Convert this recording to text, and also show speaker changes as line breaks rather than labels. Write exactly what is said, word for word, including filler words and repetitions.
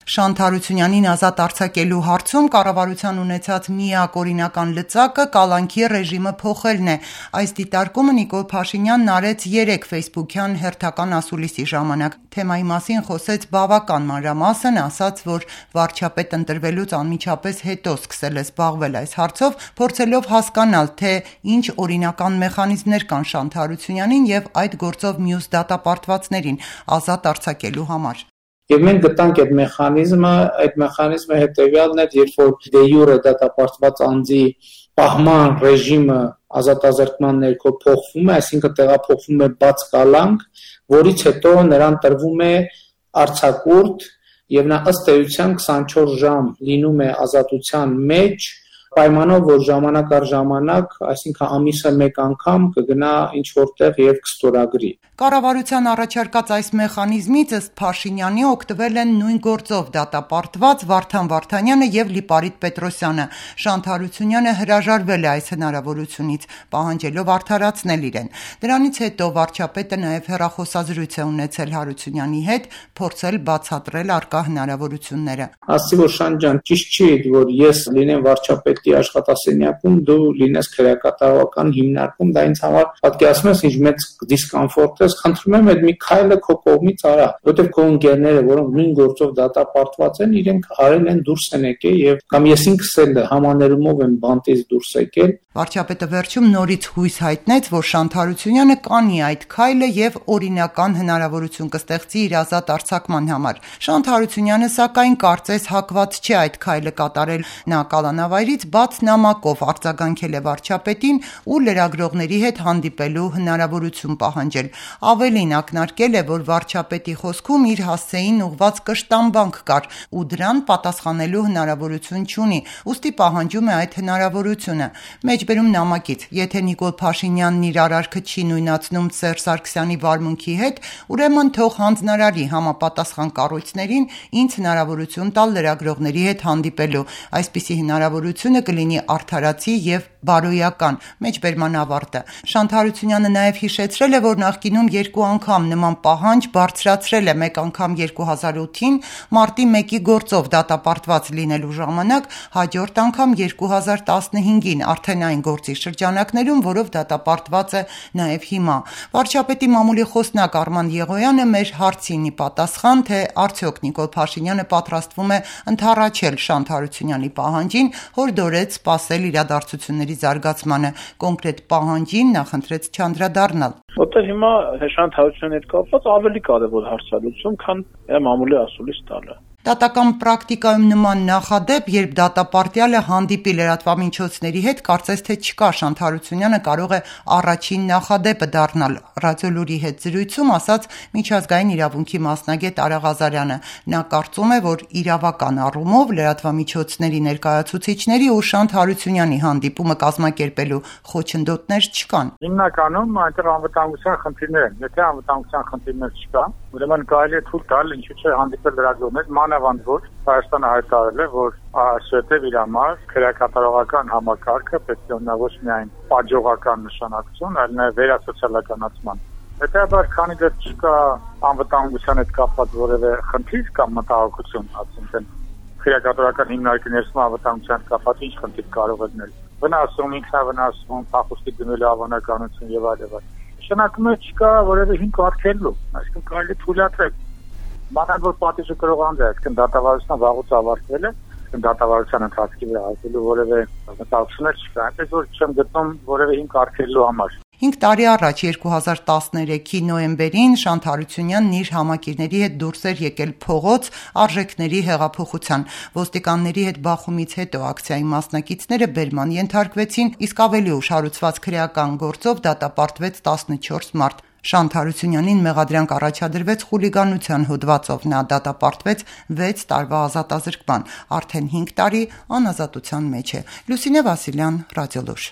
Շանթ Հարությունյանին ազատ արձակելու հարցում կառավարության ունեցած միակ օրինական լծակը կալանքի ռեժիմը փոխելն է։ Այս դիտարկումը Նիկոլ Փաշինյանն արեց երեկ ֆեյսբուքյան հերթական ասուլիսի ժամանակ։ Թեմայի մասին խոսեց բավական մանրամասն, ասաց, որ վարչապետ ընտրվելուց անմիջապես հետո սկսել է զբաղվել այս հարցով, փորձելով հասկանալ, թե ինչ օրինական մեխանիզմներ կան Շանթ Հարությունյանին եւ այդ գործով մյուս դատապարտվածներին ազատ արձակելու համար։
Եվ մենք գտանք այդ մեխանիզմը, այդ մեխանիզմը հետևյալն էր, երբ որ դե յուրե դատապարտված անձի պահման ռեժիմը ազատազրկման ներքո փոխվում է, այսինքն տեղափոխվում է բաց կալանք, որից հետո նրան տրվում է արձակուրդ եւ նա ըստ էության քսանչորս ժամ լինում է ազատության մեջ, պայմանով, որ ժամանակ առ ժամանակ, այսինքն ամիսը մեկ անգամ կգնա ինչ որտեղ եւ կստորագրի։
Կառավարության առաջարկած այս մեխանիզմից ըստ Փաշինյանի օգտվել են նույն գործով դատապարտված Վարդան Վարդանյանը եւ Լիպարիտ Պետրոսյանը։ Շանթ Հարությունյանը հրաժարվել է այս հնարավորությունից, պահանջելով արդարացնել իրեն։ Դրանից հետո վարչապետը նաեւ հեռախոսազրույց է ունեցել Հարությունյանի հետ, փորձել բացատրել առկա հնարավորությունները։
Ասի որ Շանթ ջան, ճիշտ չի, որ ես լինեմ վարչապետի աշխատասենյակում, դու լինես քրեակատարողական հիմնարկում, դա ինձ համար պատկերացնում ես ինչ մեծ դիսկոմֆորտ է, խնդրում եմ այդ մի քայլը քո կողմից արա, որտեղ քո ընկերները, որոնք նույն գործով դատապարտված են, իրենք արել են դուրս են եկել եւ կամ ես ինքս էլ համաներումով եմ բանտից դուրս եկել։
Վարչապետը վերջում նորից հույս հայտնեց, որ Շանթ Հարությունյանը կանի այդ քայլը եւ օրինական հնարավորություն կստեղծի իր ազատ արձակման համար։ Շանթ Հարությունյանը սակայն կարծես հակված չէ այդ քայլը կատարել։ Նա կալանավայրից բաց նամակով արձագանքել է վարչապետին ու լրագրողների հետ հանդիպելու հնարավորություն պահանջել։ Ավելին ակնարկել է, որ վարչապետի խոսքում իր հասցեին ուղված կշտամբանք կար ու դրան պատասխանելու հնարավորություն չունի, ուստի պահանջում է այդ հնարավորությունը։ Մեջբերում նամակից, եթե Նիկոլ Փաշինյանն իր արարքը չի նույնացնում Սերժ Սարգսյանի վարմունքի հետ, ուրեմն թող հանձնարարի համապատասխան կառույցներին ինձ հնարավորություն տալ լրագրողների հետ հանդիպելու։ Այսպիսի հնարավորությունը կլինի արդարացի եւ բարոյական։ Մեջբերման ավարտը։ Շանթ Հարությունյանը նաեւ հիշեցրել է, որ նախկինում երկու անգամ նման պահանջ բարձրացրել է, մեկ անգամ երկու հազար ութին մարտի մեկի գործով դատապարտված լինելու ժամանակ, հաջորդ անգամ երկու հազար տասնհինգին արդեն այն գործի շրջանակներում, որով դատապարտված է նաեւ հիմա։ Վարչապետի մամուլի խոսնակ Արման Եղոյանը մեր հարցին ի պատասխան, թե արդյոք Նիկոլ Փաշինյանը պատրաստվում է ընդառաջել Շանթ Հարությունյանի պահանջին, հորդորեց սպասել իրադարձությունների զարգացմանը, կոնկրետ պահանջին նախընտրեց չանդրադառնալ։
Որտեղ հիմա Շանթ Հարությունյանի հետ կապված ավելի կարևոր հարցալուծում, քան մամուլի ասուլիս տալը։
Դատական պրակտիկայում նման նախադեպ, երբ դատապարտյալը հանդիպի լրատվամիջոցների հետ, կարծես թե չկա, Շանթ Հարությունյանը կարող է առաջին նախադեպը դառնալ։ Ռադիոլուրի հետ զրույցում ասաց միջազգային իրավունքի մասնագետ Արա Ղազարյանը։ Նա կարծում է, որ իրավական առումով լրատվամիջոցների ներկայացուցիչների ու Շանթ Հարությունյանի հանդիպումը կազմակերպելու խոչընդոտներ չկան։
Հիմնականում այնտեղ անվտանգության խնդիրներ են։ Եթե անվտանգության խնդիրներ չկան, ուրեմն կարելի է թույլ տալ, ինչու՞ չէ հանդիպել լրագրողներ, մանավանդ որ Հայաստանը հայտարարել է, որ այսուհետև իր համար քրեակատարողական համակարգը պետք է ունենա ոչ միայն պատժողական նշանակություն, այլ նաև վերասոցիալականացման։ Հետևաբար, քանի դեռ չկա անվտանգության հետ կապված որևէ խնդիր կամ մտահոգություն, այսինքն քրեակատարողական հիմնարկի ներսում անվտանգության հետ կապված ինչ խնդիր կարող է լինել։ Վնասում, ինքնավնասում, փախուստի դնելու հավանականություն եւ այլ եւ այլ։ Նշանակում է չկա որևէ հիմք արգելելու, այսինքն կարելի թույլատրել։ Մանավանդ որ պատիժը կրող անձ է, այսինքն դատավարությունը վաղուց ավարտվել է, այսինքն դատավարության ընթացքի վրա այստելու որևէ մտահոգություններ չկա, այնպես որ չեմ գտնում որևէ հիմք արգելելու համար։
Հինգ տարի առաջ երկու հազար տասներեքի նոյեմբերին Շանթ Հարությունյանն իր համակիրների հետ դուրս էր եկել փողոց արժեքների հեղափոխության։ Ոստիկանների հետ բախումից հետո ակցիայի մասնակիցները բերման ենթարկվեցին, իսկ ավելի ուշ հարուցված քրեական գործով դատապարտվեց տասնչորս մարդ։ Շանթ Հարությունյանին մեղադրանք առաջադրվեց խուլիգանության հոդվածով, նա դատապարտվեց վեց տարվա ազատազրկման, արդեն հինգ տարի անազատության մեջ է։ Լուսինե Վասիլյան, Ռադիոլուր։